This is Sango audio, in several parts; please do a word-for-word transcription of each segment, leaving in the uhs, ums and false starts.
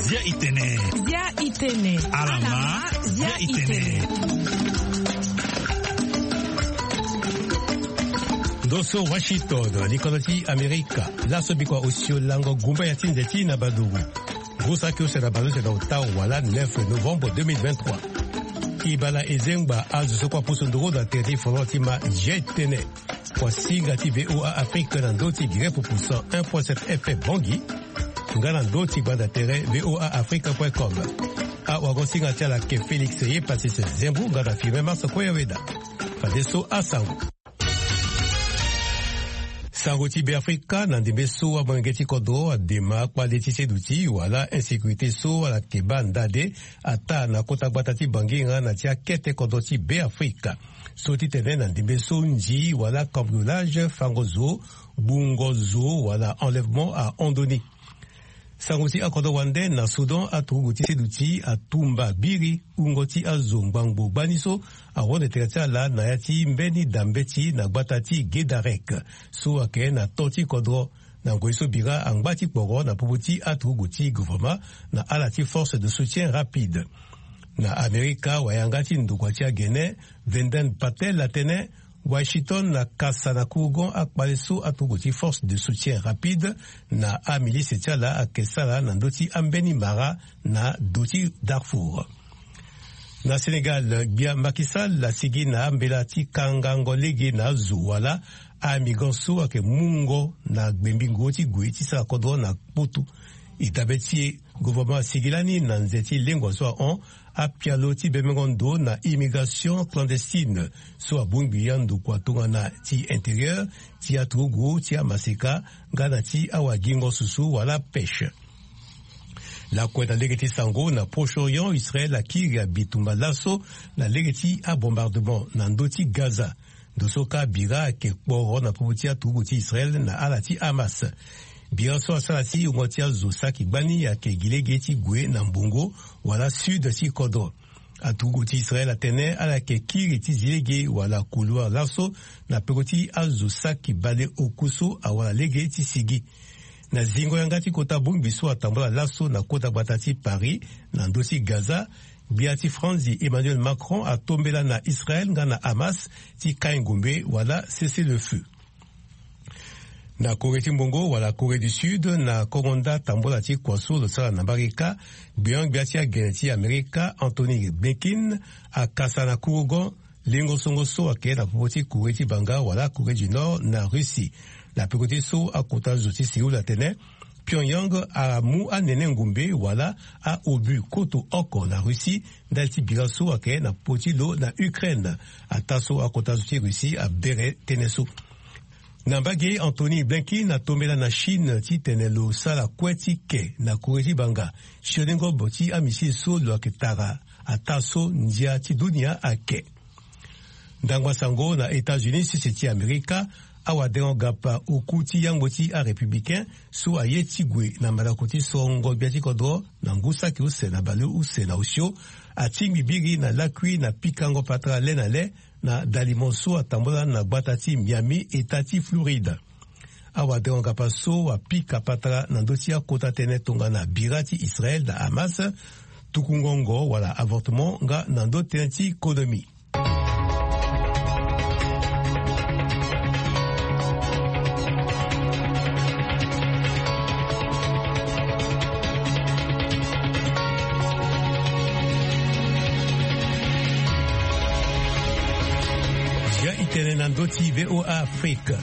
Zia itene. Zia itene. Alama. Zia itene. Ndo so Washington, likono ti Amerika. Laso bikua osio lango gumba ya ti nze ti na badugu. Ngu saki use na baluze na ota wala neuf novembre deux mille vingt-trois. Ibala ezengba azo so kua pusu nduru na tere ti folon ti ma jetene. Kua singa ti V O A Afrique na ndo ti gere pupu cent un point sept F M Bangui. Nga na ndo ti gbanda tere V O A Afrique point com. Awago singa ti ala ke Félix ye Patrice Zembu nga na Firmin Marso Koyaweda. Fadeso asango. Sango ti Beafrika na ndembe so amolenge ti kodro adema kpale ti seduti wala insécurité so ala ke baa ndade ataa na kota gbata ti Bangi nga na ti akete kodro ti Beafrika. So ti tene na ndembe so nzi wala cambriolage, fango zo, gbungo zo wala enlèvement ahon ndoni. Sango ti akodro wande na Soudan, aturugu ti seduti atumba biri wungo ti azo ngbangbo gbani so ahon na tere ti ala na ya ti mbeni dambeti na gbata ti Gedarek so ayeke na to ti kodro. Na ngoi so bira angba ti kporo na popo ti aturugu ti gouvernement na ala ti force de soutien rapide. Na Amerika, wayanga ti ndokua ti agene, Venden Patel, atene Washington akasa na kurugon akpale so aturugu ti force de soutien rapide na amilise ti ala ayeke sara na ndö ti ambeni mara na do ti Darfour. Na Sénégal, gbia Macky Sall asigi na ambela ti kangango lege na azo wala amigrant so ayeke mungo na gbembi nguru ti gue ti sara kodro na kputu. E dabe ti e, gouvernement asigi lani na nze ti lengua so ahon apialo ti bemengo ndo na immigration clandestine so abongbi andokua tongana ti intérieur, ti aturugu, ti amaseka nga na ti awagingo susu wala pêche. Lakue na lege ti sango na Proche-Orient, Israël akiri abitumba laso na lege ti abombardement na ndö ti Gaza. Ndo so kâ bira ayeke kporo na popo ti aturugu ti Israël na ala ti Hamas. Bira so asara ti wungo ti azo saki gbani ayeke gi lege ti gue na mbongo wala sud ti kodro. Aturugu ti Israël atene ala yeke kiri ti zi lege wala couloir laso na peko ti azo saki bale oku so awara lege ti sigi. Na zingo yanga ti kota bongbi so atambula laso na kota gbata ti Paris na ndö ti Gaza, gbia ti Franzi Emmanuel Macron atombela na Israël nga na Hamas ti kai ngombe wala cessez-le-feu. Na Corée ti mbongo wala Corée du Sud, na kongo nda tambula ti kua so lo sara na mbarika, gbion-gbia ti agene ti Amerika Anthony Blinken akasa na kurugon lengo songo so ayeke na popo ti Corée ti banga wala Corée du Nord na Russie. Na peko ti so akota zo ti Séoul atene Pyongyang amu anene ngombe wala a-obus koto oko na Russie ndali ti bira so ayeke na popo ti lo na Ukraine. Ataa so akota zo ti Russie abere tënë so. Na mbage, Anthony Blinken atombela na Chine titene lo sara kue ti ke na Corée ti banga sioni ngobo ti amissile so lo yeke tara ataa so ndia ti dunia ayeke. Ndangba sango na États-Unis, sese ti Amerika, awadengo gapa oku ti yangbo ti arépublicain so aye ti gue na mandako ti sorongo gbia ti kodro na ngu saki use na baleuse na osio atingbi biri na lakui na pikango patara le na le na dalimo so atambula na gbata ti Miami, eta ti Floride. Awadengo gapa so apika patara na ndö ti akota tënë tongana bira ti Israël na Hamas, tuku ngongo wala avortement nga na ndö tënë ti konomi. Zia itene na ndö ti V O A Afrique.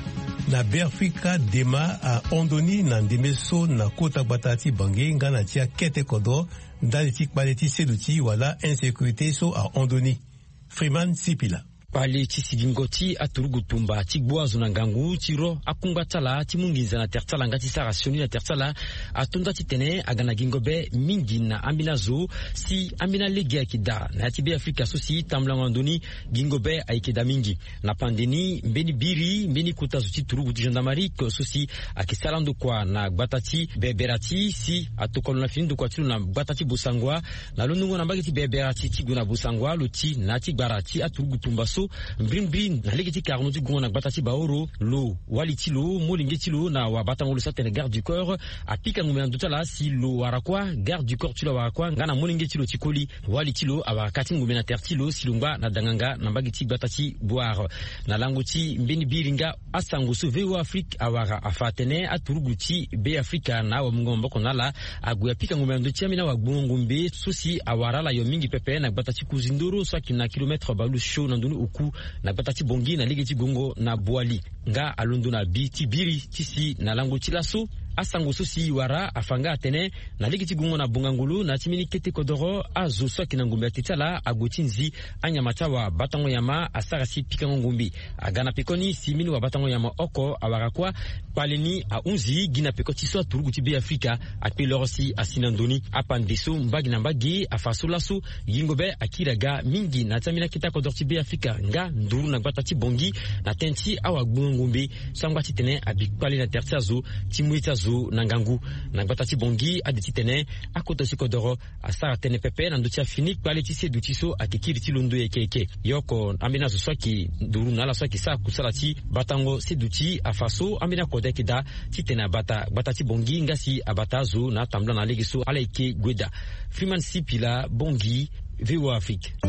Na Beafrika, dema ahon ndoni na ndembe so na kota gbata ti Bangui nga na ti akete kodro ndali ti kpale ti seduti wala insécurité so ahon ndoni. Freeman Sipila. Kpale ti sigingo ti aturugu tumba ti gbu azo na ngangu ti ro akungba ti ala ti mu nginza na tere ti ala nga ti sara sioni na tere ti ala ato nda titene aga na gingo be mingi na ambeni azo. Si ambeni alege ayeke daa na ya ti Beafrika so si tambulango na ndoni gingo be ayeke daa mingi. Na pande ni, mbeni biri mbeni kota zo ti turugu ti gendarmerie so si ayeke sara ndokua na gbata ti Beberati si atokua lo na fini ndokua ti lo na gbata ti Bossangoa na londongo na mbage ti Beberati ti gue na Bossangoa, lo ti na ya ti gbara ti aturugu tumba so Mbirimbiri na lege ti karno ti gongo na gbata ti Baoro, lo wali ti lo, molenge ti lo na wabatango lo so atene garde du corps, apika ngombe na ndö ti ala si lo wara kuâ. Garde du corps ti lo awara kuâ nga na molenge ti lo ti koli. Wali ti lo awara ka ti ngombe na tere ti lo si lo ngba na danganga na mbage ti gbata ti Boire. Na lango ti mbeni biri nga, asango so V O A Afrique awara afa atene aturugu ti Be Afrika na awamungo maboko na ala ague apika ngombe na ndö ti ambeni awagbongo ngombe so si awara ala yo mingi pepe na gbata ti Kuzindoro so ayeke na kilomètre bale use na ndoni oku na gbata ti Bangui na lege ti gongo na Boali. Nga alondo na bi ti biri ti si na lango ti laso, asango so si wara afa nga atene na lege ti gongo na Bongangolo na ya ti mbeni kete kodoro, azo so ayeke na ngombe ate ti ala ague ti nzi anyama ti awabatango nyama asara si pikango ngombe. Aga na pekoni si mbeni wabatango nyama oko awara kuâ, kpale ni ahunzi gi na peko ti so aturugu ti Be Afrika akpe loro si asi na ndö ni. Apande so mbage na mbage afa so laso, yingo be akiri aga mingi na ya ti ambeni akete akodoro ti Be Afrika nga nduru na gbata ti Bangui na tënë ti awagbongo ngombe so angba titene abi kpale na tere ti azo ti mu ye ti azo na ngangu. Na gbata ti Bangui ade titene akota ti kodoro asara tënë pepe na ndö ti afini kpale ti seduti so ayeke kiri ti londo yeke yeke. Ye oko ambeni azo so ayeke nduru na ala so ayeke sara kusala ti batango seduti afa so ambeni akode ayeke daa titene abata gbata ti Bangui nga si abata azo na atambula na lege so ala yeke gue daa. Freeman Sipila, Bangui, V O A Afrique. E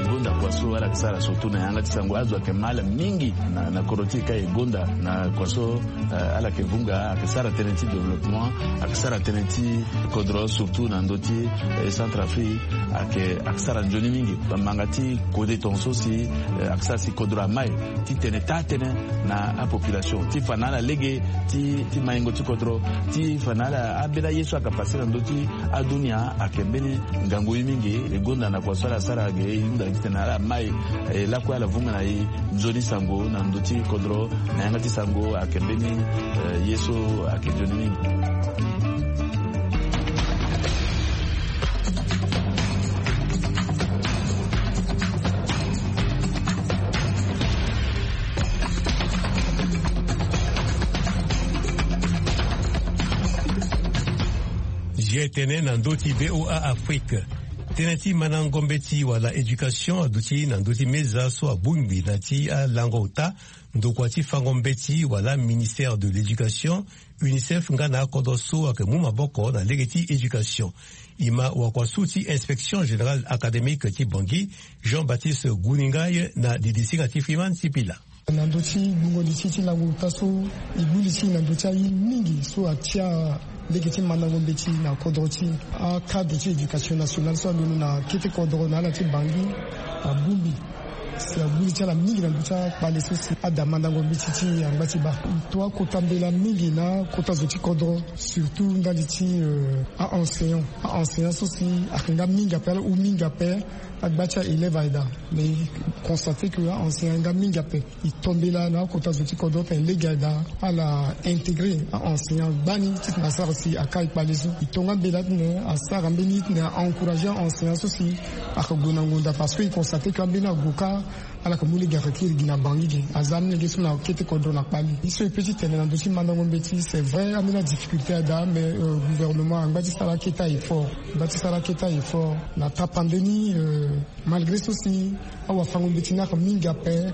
gonda kua so ala yeke sara surtout na yanga ti sango, azo ayeke ma ala mingi na, na kodro ti e ka e gonda na kua so, eh, ala yeke vunga, ayeke sara tënë ti développement, ayeke sara tënë ti kodro surtout na ndö ti, eh, Centrafrique, ayeke, ayeke sara nzoni mingi. Bamanga ti kode tongaso si, eh, ayeke sara si kodro amai titene taa tënë na apopulation ti fa na ala lege ti, ti maingo ti kodro, ti fa na ala ambeni aye so ayeke pase na ndö ti adunia ayeke mbeni ngangu ye mingi. E gonda na kua so ala sara ge, e hunda titene ala mai, eh, lakue ala vunga na e nzoni sango na ndö ti kodro na yanga ti sango ayeke mbeni, eh, ye so ayeke nzoni mingi. G T N na ndö ti V O A Afrique. Tënë ti mandango mbeti wala éducation aduti na ndö ti meza so abongbi na ti alango ota ndokua ti fango mbeti wala ministère de l'éducation, UNICEF nga na akodro so ayeke mu maboko na lege ti éducation. E ma wakua so ti inspection générale académique ti Bangui, Jean-Baptiste Guningai na didisinga ti Freeman Sipila. Na ndö ti gbungo li ti, ti lango ota so, e gbu li ti e na ndö ti aye mingi so atia lege ti mandango mbeti na kodro ti e. Acadre ti éducation nationale so alondo na kete kodro na ala ti Bangui abongbi si agbu li ti ala mingi na ndö ti akpale so si ada mandango mbeti ti e angba ti baa. E to akota mbela mingi na akota zo ti kodro, surtout ndali ti, euh, a-enseignant. A-enseignant so si ayeke nga mingi ape, ala hu mingi ape. Agba ti a-élève aye daa, mais e constate que a-enseignant ayeke nga mingi ape. E to mbela na akota zo ti kodro titene lege aye daa ala intégrer a-enseignant gbani titene asara si aka e kpale so. E to nga mbela titene asara mbeni titene a-encourager a-enseignant so si ayeke gue na ngonda, parce que e constate que ambeni ague kâ ala yeke mu lege ayeke kiri gi na Bangui ge. Aza amolenge so na kete kodro na kpale. Ye so e peut ti tene na ndö ti mandango mbeti, c'est vrai ambeni adifficulté aye daa, mais, euh, gouvernement angba ti sara akete a-effort. Angba ti sara akete a-effort na tapande ni, euh, malgré so si awafango mbeti ni ayeke mingi ape.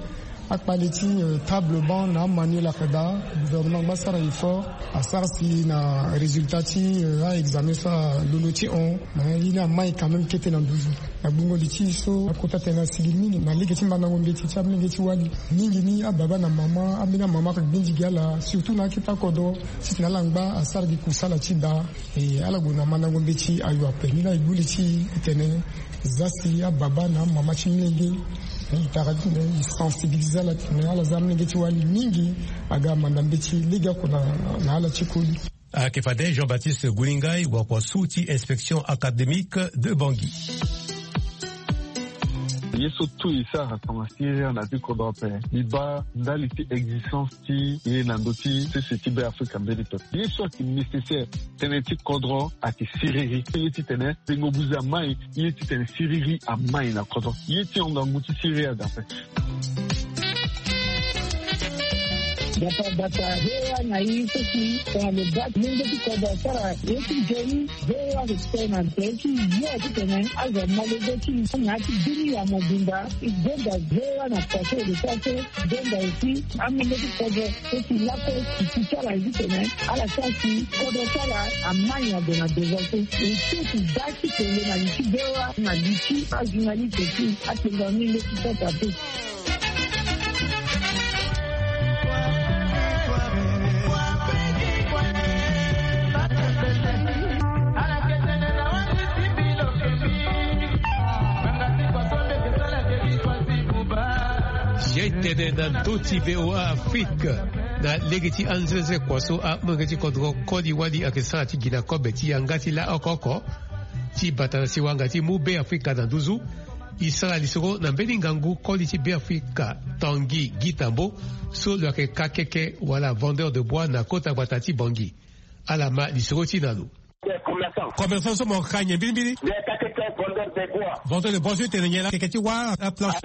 Akpale ti, euh, table banc na amanuel ayeke daa. Gouvernement angba sara effort, asara si na résultat ti, euh, a-examen so alondo ti hon. Mais ye ni amai quand même kete na nduzu. Na gbungo li ti e so, akota tënë asigi mingi na lege ti mandango mbeti ti amolenge ti wali. Mingi ni ababa na mama, ambeni amama ayeke gbindi gi ala, surtout na akete akodro, titene ala ngba asara gi kusala ti daa. E ala gue na mandango mbeti ayo ape. Ni laa e gbu li ti e titene za si ababa na amama ti molenge, e tara titene e sensibiliser ala titene ala za amolenge ti wali mingi aga amanda mbeti lege oko na, na ala ti koli. Ayeke fade Jean-Baptiste Guningai, wakua so ti inspection académique de Bangui. Ye so tout e sara tongana siriri na ti kodro ape, e baa ndali ti existence ti e na ndö ti sese ti Be Afrika mbeni pepe. Ye so ayeke nécessaire, tënë ti kodro ayeke siriri. Ye titene tengo buze amai, ye titene siriri amai na kodro. Ye ti hon ngangu ti siriri aga ape. Bata bata hewa na i so si tongana lo baa ti lenge ti kodro asara ye ti joli. Hewa respect na tene ti yo ti tene azo amolenge ti na ti bini ya mobimba. I gbonga hewa na paso de paso. Gbonga aussi amolenge ti kodro so si lako ti ti ti ala ye ti tene ala sara si kodro ti ala amai na gue na devant so. E so ti baa ti tene na li ti hewa na li ti ajournaliste ti atene na ni leti kota te. Ye tene na ndö ti V O A Afrique. Na lege ti anzenze kua so amolenge ti kodro koli wali ayeke sara ti gi na kobe ti yanga ti laoko oko ti bata na siwanga ti mu Be Afrika na nduzu. E sara lisoro na mbeni ngangu koli ti Be Afrika Tanguy Guy Tambo so lo yeke ka keke wala vendeur de bois na kota gbata ti Bangui. Ala ma lisoro ti na lo. Commerçant so mo ka nyen mbirimbiri? Vendeur de bois so e tene nyen la? Keke ti wâ aplanche.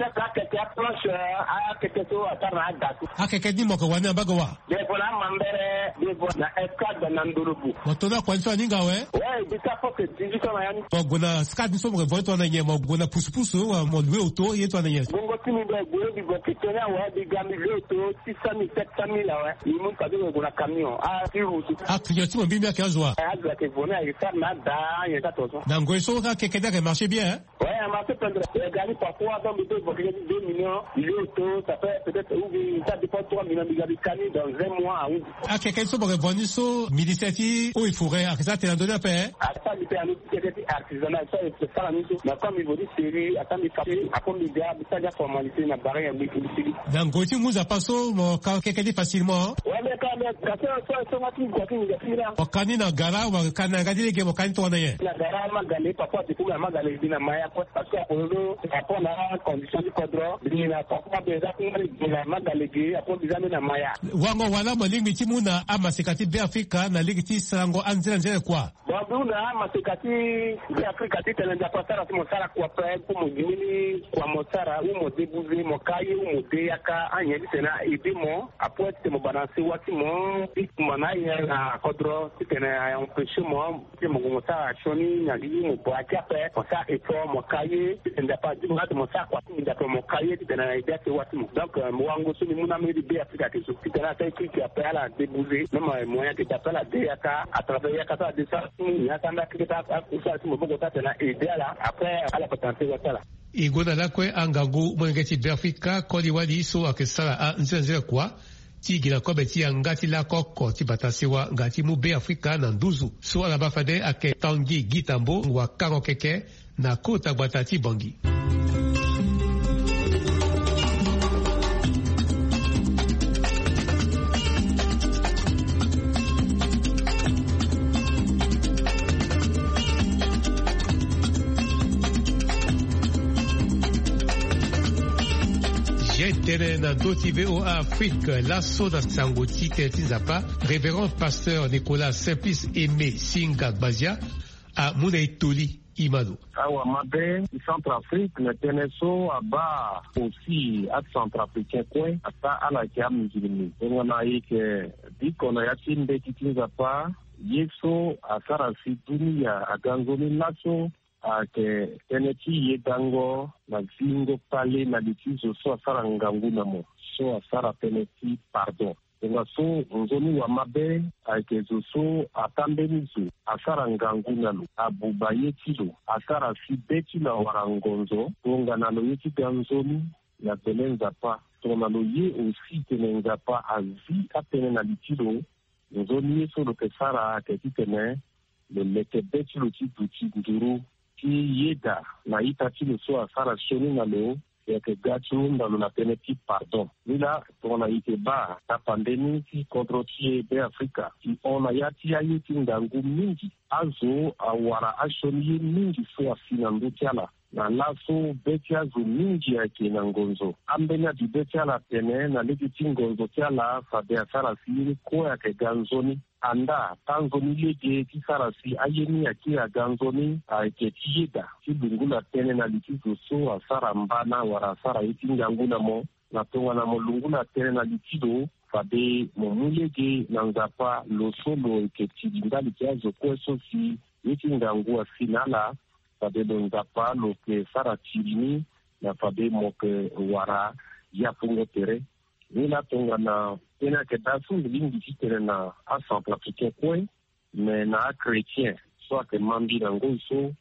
Akeke so asara na ada so. Akeke ni mo yeke wani na mbage wâ? Devant na amambere, devant na escadre na ndolobu. Mo to na kua ni so aninga awe? Ouais, e bi sa fo ke dix-huit ans na ya ni. Mo gue na escadre ni so mo ke vo ni tongana nyen? Mo gue na pusupusu wala mo loue auto ye tongana nyen? Bongo ti mi be gue bibo ke tene awe, bi ga mi loue auto six cent mille, sept cent mille awe. Mi mu fade mo gue na camion. Ah, ti route. Ah, client ti mo mbirimbiri ayeke azo wa? Eh, azo ayeke vo ni ayeke sara na ada, nyen ti ato so. Na ngoi so akeke ni ayeke marché bien, hein? Ouais, a marché pendere. E ga ni parfois, donc, mbi peut évoquer deux millions, mbi loue auto, ça fait peut-être, ou bien, ça dépend, trois millions, mbi ga mbi ka ni dans un mois, ah oui. Akeke so mo yeke vo ni so, ministère ti eaux et forêts ayeke sara tene na ndö ni ape, hein? Asara mbi tene na ndö ti keke ti artisanat, so ayeke sara ni so. Mais comme mbi vo ni sérieux, asara mbi ka, après mbi ga, mbi sara ni aformalité na barrière, mbi, mbi sigi. Na ngoi ti mu Nzapa so, mo ka keke ni facilement, hein? Ouais, mais quand même, parce que, so, so, so, so, so, so, so, so, so, mo ka ni na gara, mo ka ni na yanga ti lege, mo ka ni tongana nyen? Na gara, Magale, parfois, du coup, na Magale, mbi na Maya, quoi. Parce que Apollo, rapport na condition ti kodro, mbi na papa mbi eza kungba lege na Magale ge, apo mbi za mbi na Maya. Wango wala mo lingbi ti mu na amaseka ti Be Afrika na lege ti sarango anzere anzere kua? Bon, mbi hunda amaseka ti Be Afrika titene Nzapa asara si mo sara kua ape, pour mo gi mbeni kua mo sara, ou mo débouser, mo ka ye, ou mo de yaka, anyen titene a aider mo, apo titene mo bana sewa ti mo, ti kumba na aye na kodro, titene a empêcher mo. Ti mo gue mo sara sioni na li ti mo baa ti ape, mo sara effort, mo ka ye, ti tene Nzapa azi mo nga ti mo sara kua ti mo Nzapa mo ka ye, ti tene na ede asewa ti mo. Donc, euh, mo wango so mbi mu na mbeni Be Afrika ayeke zo. Ti tene asara équipe ape ala débouser, même, euh, moyen ayeke daa ape ala de yaka, à travers yaka so ala de sara ti mo, ni asara mbi akeke ti a, a, a, ti maboko ti atene na ede ala, après, ala bata na sewa ti ala. E gue na lakue angangu molenge ti Be Afrika koli wali so ayeke sara anzere anzere kua. Ti gi na kobe ti yanga ti lakoko ti bata sewa nga ti mu Be Afrika na nduzu. So ala baa fade ayeke Tanguy Guy Tambo, wakango keke na kota gbata ti Bangui. Ye tene na ndö ti V O A Afrique, laso na sango ti tene ti Nzapa, Révérend Pasteur Nicolas Simplice Aimé Singa Gbazia amu na e toli. Imano. Awamabe ti Centrafrique na tënë so abaa aussi aCentrafricain kue ata ala yeke amusulmi. Tongana e yeke biko na ya ti mbeti ti Nzapa, ye so asara si dunia aga nzoni laso ayeke tënë ti yedango na zingo kpale na li ti zo so asara ngangu na mo, so asara tënë ti pardon. Tongaso nzoni wamabe ayeke zo so atambeni zo, asara ngangu na lo, abuba ye ti lo, asara si be ti lo awara ngonzo, tongana lo ye ti ga nzoni na bele Nzapa. Tongana lo ye aussi tene Nzapa azi atënë na li ti lo, nzoni ye so lo yeke sara ayeke titene lo leke be ti lo ti duti nduru ti yeda na ita ti lo so asara sioni na lo, e yeke ga ti hunda lo na tënë ti pardon. Nilaa, tongana e yeke baa tapande ni ti kodro ti e Be Afrika, e hon na ya ti aye ti ngangu mingi. Azo awara asioni ye mingi so asi na ndö ti ala. Na laso be ti azo mingi ayeke na ngonzo. Ambeni abi be ti ala atene na lege ti ngonzo ti ala fade asara si ye ni kue ayeke ga nzoni. Andaa, taa nzoni lege ti sara si aye ni akiri aga nzoni ayeke ti yeda, ti lungula tënë na li ti zo so asara mbana wala asara ye ti ngangu na mo. Na tongana mo lungula tënë na li ti lo, Fade mo mu lege na Nzapa, lo so lo yeke tiri ndali ti azo kue so si ye ti ngangu asi na ala. Fade lo Nzapa lo yeke sara tiri ni, na fade mo yeke wara yafungo tere. Ni laa tongana tënë ayeke daa so mbi lingbi titene na acentrafricain kue, me na achrétien so ayeke ma mbi na ngoi so,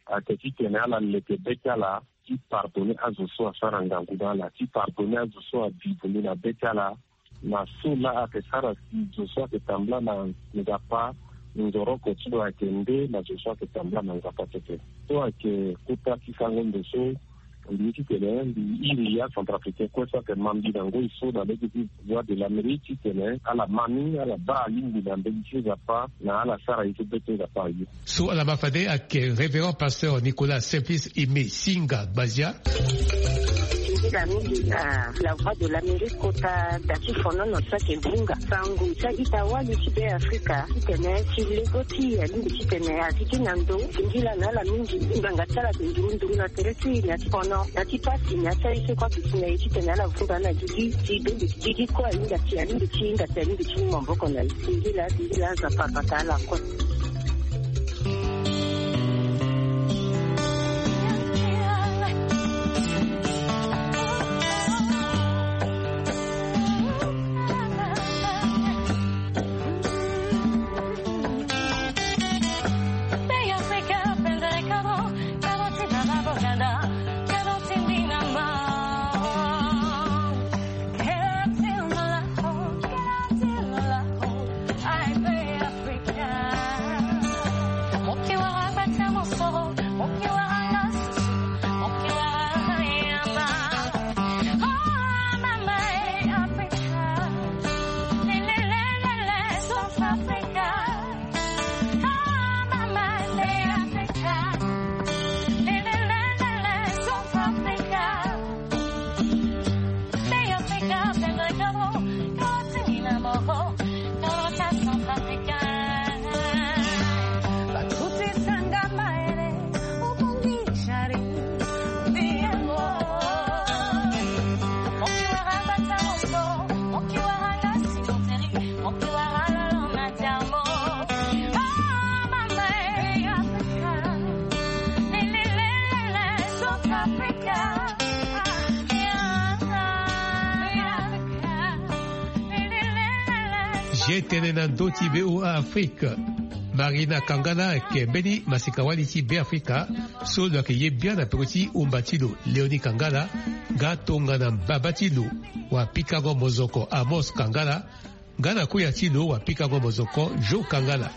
ayeke titene ala leke be ti ala ti pardonner azo so asara ngangu na ala, ti pardonner azo so avivo mbi na be ti ala. Na so laa ayeke sara si zo so ayeke tambula na Nzapa nzoroko ti lo ayeke nde na zo so ayeke tambula na Nzapa tete. So ayeke kota ti sango ndo so mbi ye titene mbi iri acentrafricain kue so ayeke ma mbi na ngoi so na lege ti Voix de l'Amérique titene ala ma ni, ala baa alingbi na mbeni ti Nzapa, na ala sara ye so be ti Nzapa aye. So ala ma fade ayeke Révérend Pasteur Nicolas Simplice Aimé Singa Gbazia. Mbi la mingi na La Voix de l'Amérique kota da ti fonono so ayeke vunga sango ti a-ita wali ti Be Afrika titene ti lego ti e alingbi titene a zi ti na ndo. Singila na ala mingi ngbanga ti ala ayeke nduru nduru na tere ti e na ti fono na ti pasi na ti aye so kue ayeke si na e titene ala vunga na gigi ti be gigi kue ahinga ti alingbi ti hinga ti alingbi ti mu maboko na e. Singila singila Nzapa abata ala kue. Ye tene na ndö ti V O A Afrique. Marina Kangala ayeke mbeni masika-wali ti Beafrika so lo yeke ye bian na peko ti umba ti lo Léonie Kangala, nga tongana mbaba ti lo wapikango mozoko Amos Kangala, nga na koya ti lo wapikango mozoko Jo Kangala.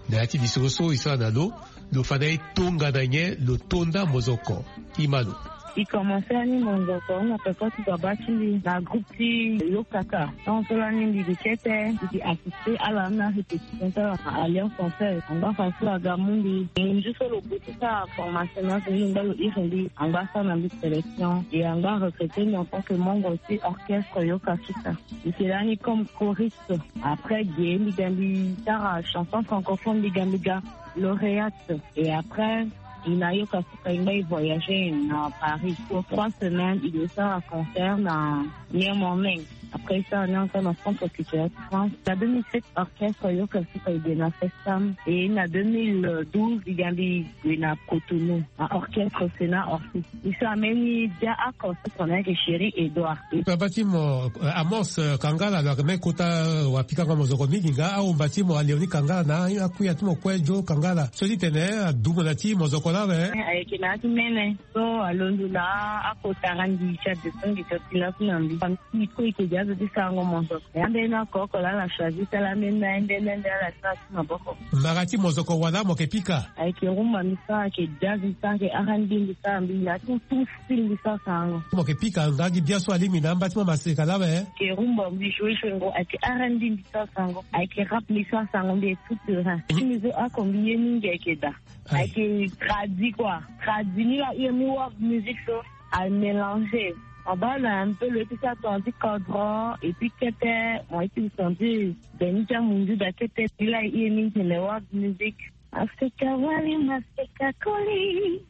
Na ya ti lisoro so e sara na lo, lo fa na e tongana nyen lo to nda mozoko. Ti ma lo. E commencé lani mozoko na peko ti baba ti mbi na groupe ti Yokaka. Tant so lani mbi bi kete mbi bi assisté ala na répétition ti ala na Alliance Française. Angba fa so aga mu mbi. Ngu so lo gue ti sara formation na so mbi ngba lo iri mbi. Angba sara na mbi sélection. Et angba recruté mbi en tant que membre ti orchestre Yokaka. Mbi yeke lani comme choriste. Après ge mbi ga mbi sara chanson francophone mbi ga mbi ga lauréate. Et après e na Yokaka e ngba e voyagé na Paris pour trois semaines. E ke sara concert na Miami. Après e sara ni encore na Centre Culturel de France. Na deux mille sept orchestre Yokaka e gue na Festam. Et na deux mille douze e ga mbi gue na Cotonou na orchestre Sénat Orphée. E sara mbeni dia oko so tongana ayeke Chéri Edouard. Baba ti mo, eh, Amos, eh, Kangala lo yeke mbeni kota, eh, wapikango mozoko mingi nga ahumba ti mo Léonie Kangala na akuya ti mo kue Jo Kangala. So ti tene adumu na ti mozoko laa awe. Eh, ayeke na ya ti mene. So alondo na akota randi ti adeso ngi ti oti laku na mbi. Famille ti mbi kue e yeke gi azo ti sarango mozoko. Ambeni oko oko laa ala choisi ti ala ambeni na ambeni ambeni ala sara ti maboko. Mbara ti mozoko wala mo yeke pika? Ayeke rumba mbi sara, ayeke jazz mbi sara, ayeke R and B mbi sara, mbi na tout tout style mbi sara sarango. Mo yeke pika nga gi bia so alingbi na amba ti mo maseka laa awe? Ayeke rumba mbi joue joue ngo, ayeke R and B mbi sara sarango, ayeke rap mbi sara sarango, mbi est tout terrain. Ti mbi so oko mbi ye mingi ayeke da. Aye. Ayeke tradi quoi. Tradi ni la hire ni world music so a mélanger. Mo baa na un peu lo ye ti sara tongana ti kodro et puis kete mo ye ti senti beni ti amunzu da kete ni la hire ni tene world music. Maseka wali maseka koli.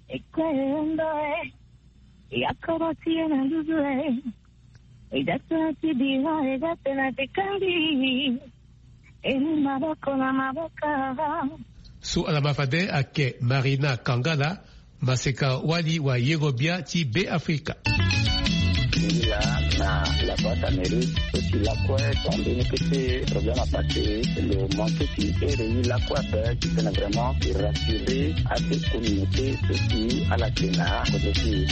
Ekwe ndo e. Ya koro ti ye na nduzu e. Eza tena ti bira, eza tena ti kangi. Eni maboko na maboko. So ala ma fade ake Marina Kangala, maseka wali wa yero bia ti Be Afrika. Ila na la Voix d'Amérique, so ti lakue, tonde ni kete problème à passer, lo manque ti ere ni lakue ape, ti tena vraiment ti rassurer ate communauté so ti ala tena kozo ti.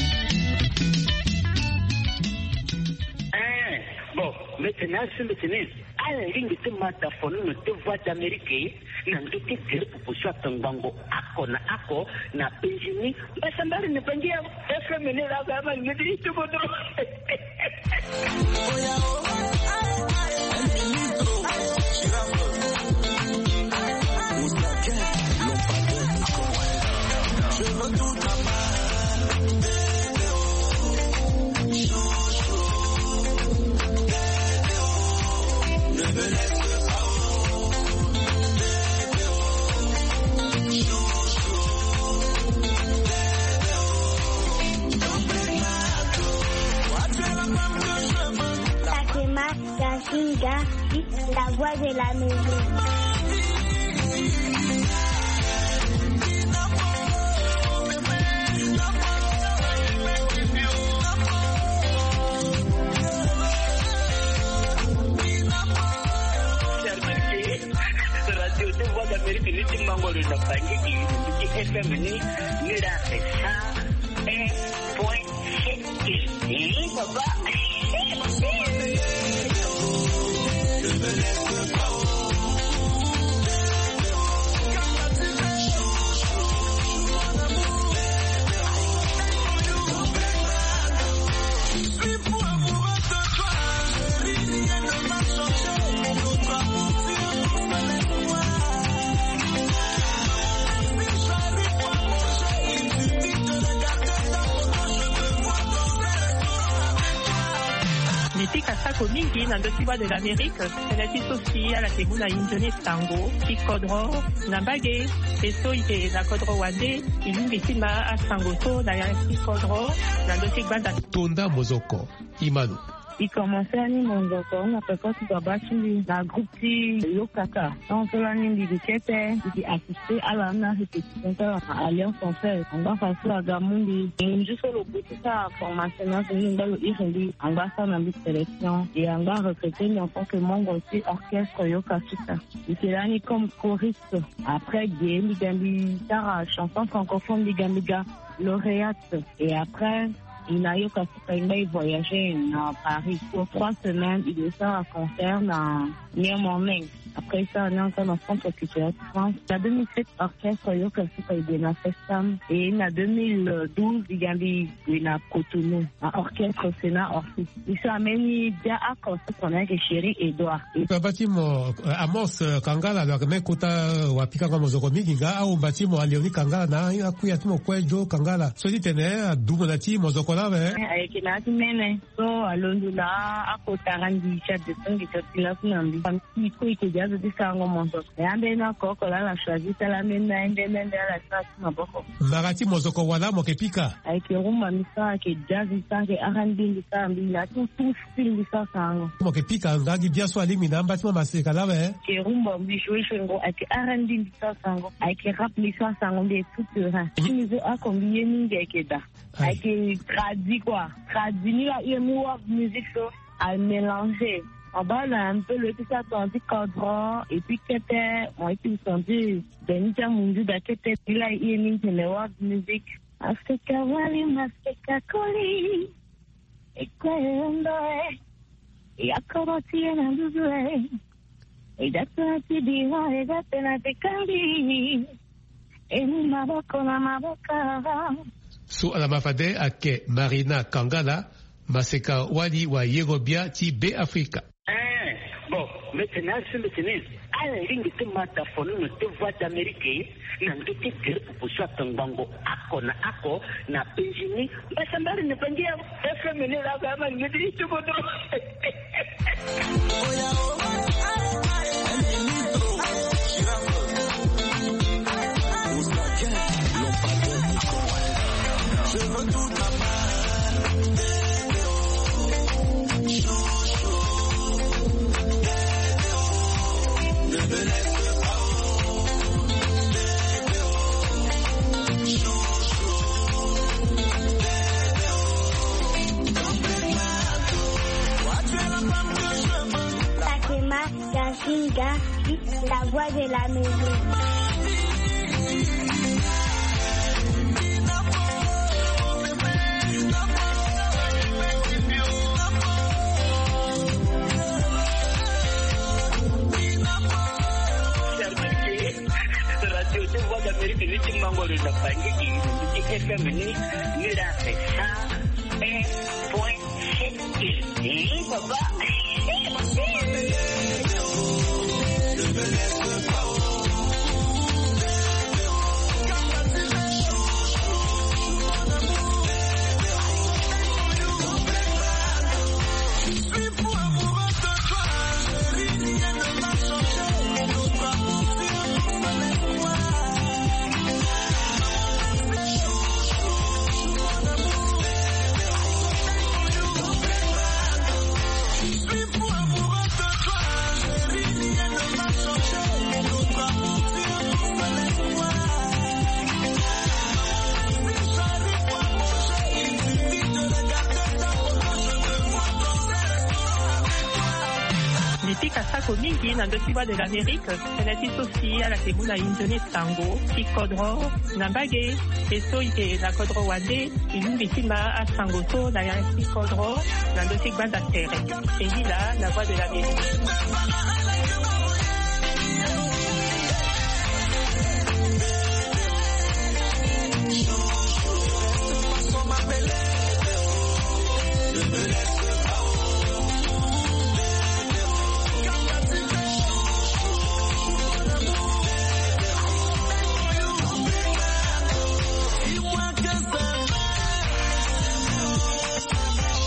Eh, bon, maintenant, si mbeti ni, ala lingbi ti ma da fonono ti Voix d'Amérique na ndö ti gere proposition atongbango oko na oko na pension ni. Mbasambari ni bangi ya F M ni la ga ma ni di ti bodo. Fatima Yasinga, la voix de la maison. Radio de Voix d'Amérique ni ti mangoro na Bangui, ti F M ni, ni la sa un point sept. Eh, papa. Mbi pika sako mingi na ndö ti Voix de l'Amérique, tënë ti so si ala ke mu na inzo ni sango ti kodro na mbage, e so e ke na kodro wande, e lingbi ti ma asango so na ya ti kodro na ndö ti gbanda. Tonda mozoko. Imanu. E commencé ani mozoko na peko ti baba ti mbi na groupe ti Yokaka. Tant so lani mbi gi kete, mbi gi assisté ala na répétition ti ala na Alliance Française. Angba fa so aga mu mbi. Ngu so lo gue ti sara formation na so ni angba lo iri mbi. Angba sara na mbi sélection. Et angba recruté mbi en tant que membre ti orchestre Yokasuka. Mbi ke lani comme choriste. Après ge mbi ga mbi sara chanson francophone, mbi ga mbi ga lauréate. Et après, e na Yokasuka e ngba e voyagé na Paris pour trois semaines, e ke sara concert na Miami. Après e sara ni encore na Centre Culturel de France. Na deux mille sept, orchestre Yokasuka e gue na Festam. Et na deux mille douze, e ga mbi gue na Cotonou, na orchestre Sénat Orpheus. E so ameni dia oko so tene ayeke Chéri Edouard. Baba ti mo, euh, Amos, euh, Kangala, lo yeke me kota, euh, wapikango mozoko mingi nga, ahomba ti mo Léonie Kangala na akuya ti mo kue Joe Kangala. So ti tene adumo na ti mozoko laa awe. Eh, ayeke na ya ti mene. So alondo na akotara ndi ti adeso ngi ti ati laku na mbi. Famille ti e kue e ke gi azo ti sarango mozoko. E ambeni oko oko laa ala choisi ti ala ambeni na ye nde nde nde ala sara ti maboko. Mara ti mozoko wala mo ke pika? Ayeke rumba mbi sara, ayeke jazz mbi sara, ayeke R and B mbi sara, mbi na tout, tout style mbi sara sarango. Mo ke pika nga gi bia so alingbi na amba ti mo maseka laa awe? Ayeke rumba mbi joue joue ngo, ayeke R and B mbi sara sarango, ayeke rap mbi sara sarango, mbi est tout terrain. Ti mbi so oko mbi ye mingi ayeke da. Aye. Ayeke tradi quoi. Tradi ni la e mu world music so a mélanger. Mo baa lo un peu lo ye ti sara tongana ti kodro et puis kete mo ye ti senti beni ti amunzu da kete ni la e ye mingi tene world music. Maseka wali, maseka koli. E kue e ondo e. E akoro ti e na nduzu e. E da tena ti bira, e da tena ti kangi. E mu maboko na maboko. So ala ma fade ayeke Marina Kangala, maseka wali wa yero bia ti Be Afrika. Eh, bon, mbeti ni asi mbeti ni. Ala lingbi ti ma da fonono ti Voix d'Amérique na ndö ti gere proposition atongbango oko na oko na pension ni. Mbasambari ni bangi ya F M ni la ga ma ni di ti bodo. La voix de l'Amérique. Radio de Voix d'Amérique, ni ti mango lo na Bangui, ni ti F M ni, ni la sa un point sept. Ni papa. Ni pika sako mingi na ndö ti Voix de l'Amérique. Tënë ti so si ala yeke mu na e nzoni sango ti kodro na mbage. E so e yeke na kodro wande, e lingbi ti ma asango so na ya ti kodro na ndö ti gbanda tere. E ngi laa na Voix de l'Amérique.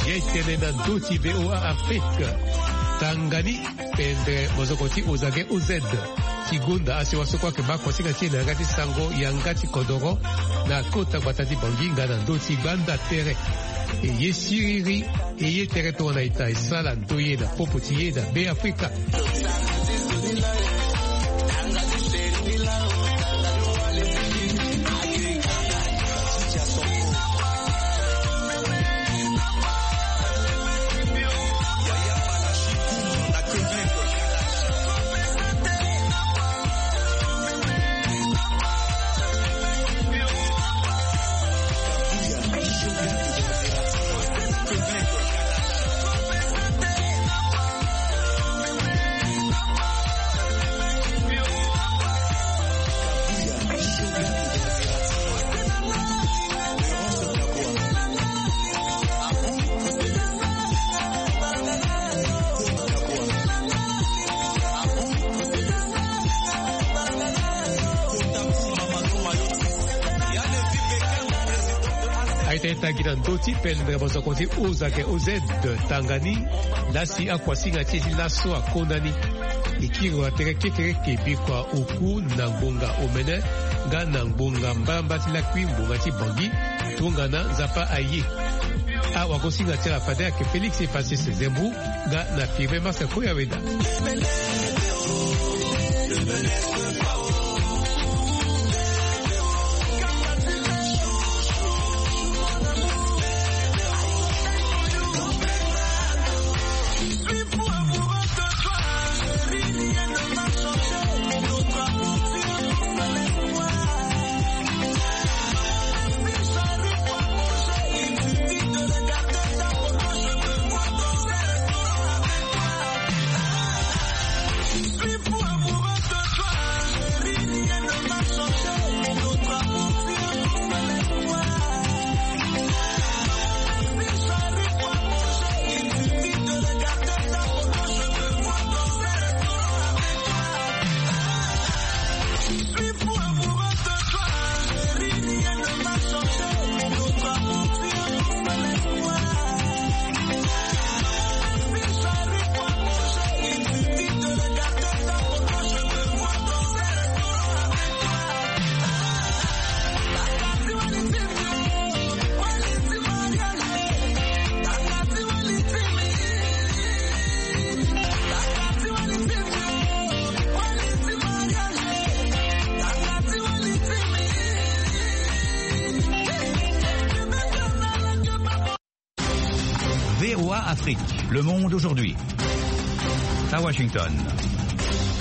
Ye tene na ndö ti V O A Afrique. Tanga ni pendere mozoko ti Ozake O Z ti gonda asiwa so kue ayeke baa kuasinga ti e na yanga ti sango yanga ti kodoro na kota gbata ti Bangui nga na ndö ti gbanda tere. E ye siriri, e ye tere tongana ita e sala ndoye na popo ti e na Be Afrika. Aita e tangi na ndö ti pendere mozoko ti Ozake O Z tanga ni. Lasi akuasinga ti e ti laso akonda ni. E kiri wa tere kekereke bikua oku na ngbonga omene nga na ngbonga mbarambara ti lakui ngbonga ti Bangui. Tongana Nzapa aye. Awagosinga ti ala fade ayeke Félix Epasis Zembu nga na Firmin Marc Koyaweda. V O A Afrique, le monde aujourd'hui. À Washington.